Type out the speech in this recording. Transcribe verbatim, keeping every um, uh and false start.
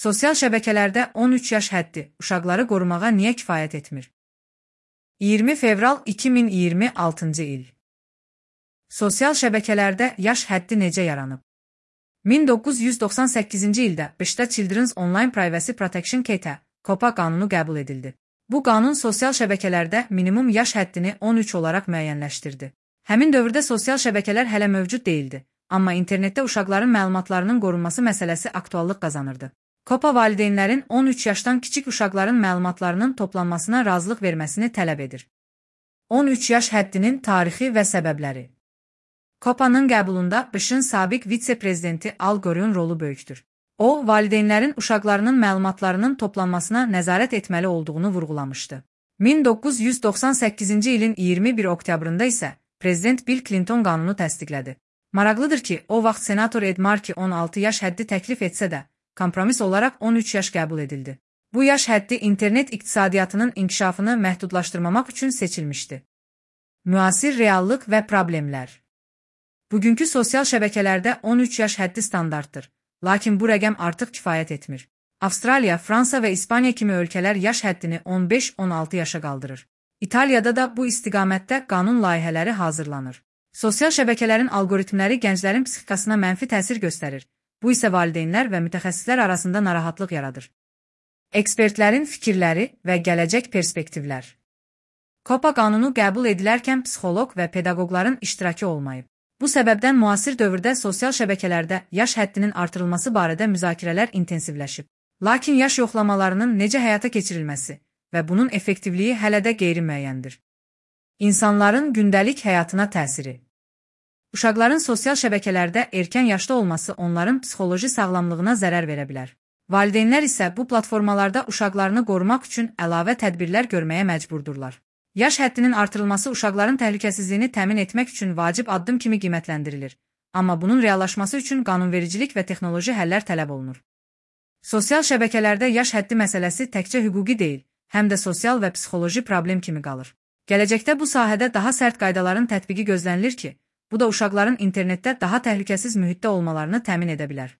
Sosial şəbəkələrdə on üç yaş həddi uşaqları qorumağa niyə kifayət etmir? iyirmi fevral iki min iyirmi altıncı il. Sosial şəbəkələrdə yaş həddi necə yaranıb? min doqquz yüz doxsan səkkizinci ildə B İŞ-də Children's Online Privacy Protection Act (COPPA) qanunu qəbul edildi. Bu qanun sosial şəbəkələrdə minimum yaş həddini on üç olaraq müəyyənləşdirdi. Həmin dövrdə sosial şəbəkələr hələ mövcud değildi, amma internetdə uşaqların məlumatlarının qorunması məsələsi aktuallıq qazanırdı. COPPA valideynlərin on üç yaşdan kiçik uşaqların məlumatlarının toplanmasına razılıq verməsini tələb edir. on üç yaş həddinin tarixi və səbəbləri. COPPA-nın qəbulunda B İŞ-in sabiq vitse-prezidenti Al Gore'un rolu böyükdür. O, valideynlərin uşaqlarının məlumatlarının toplanmasına nəzarət etməli olduğunu vurğulamışdı. min doqquz yüz doxsan səkkizinci ilin iyirmi bir oktyabrında isə Prezident Bill Clinton qanunu təsdiqlədi. Maraqlıdır ki, o vaxt senator Ed Markey on altı yaş həddi təklif etsə də, kompromis olaraq on üç yaş qəbul edildi. Bu yaş həddi internet iqtisadiyyatının inkişafını məhdudlaşdırmamaq üçün seçilmişdi. Müasir reallıq və problemlər. Bugünkü sosial şəbəkələrdə on üç yaş həddi standartdır, lakin bu rəqəm artıq kifayət etmir. Avstraliya, Fransa və İspaniya kimi ölkələr yaş həddini on beş on altı yaşa qaldırır. İtaliyada da bu istiqamətdə qanun layihələri hazırlanır. Sosial şəbəkələrin algoritmləri gənclərin psixikasına mənfi təsir göstərir. Bu isə valideynlər və mütəxəssislər arasında narahatlıq yaradır. Ekspertlərin fikirləri və gələcək perspektivlər. COPPA qanunu qəbul edilərkən psixoloq və pedaqoqların iştirakı olmayıb. Bu səbəbdən müasir dövrdə sosial şəbəkələrdə yaş həddinin artırılması barədə müzakirələr intensivləşib. Lakin yaş yoxlamalarının necə həyata keçirilməsi və bunun effektivliyi hələ də qeyri-müəyyəndir. İnsanların gündəlik həyatına təsiri. Uşaqların sosial şəbəkələrdə erkən yaşda olması onların psixoloji sağlamlığına zərər verə bilər. Valideynlər isə bu platformalarda uşaqlarını qorumaq üçün əlavə tədbirlər görməyə məcburdurlar. Yaş həddinin artırılması uşaqların təhlükəsizliyini təmin etmək üçün vacib addım kimi qiymətləndirilir, amma bunun reallaşması üçün qanunvericilik və texnoloji həllər tələb olunur. Sosial şəbəkələrdə yaş həddi məsələsi təkcə hüquqi deyil, həm də sosial və psixoloji problem kimi qalır. Gələcəkdə bu sahədə daha sərt qaydaların tətbiqi gözlənilir ki, bu da uşaqların internetdə daha təhlükəsiz mühitdə olmalarını təmin edə bilər.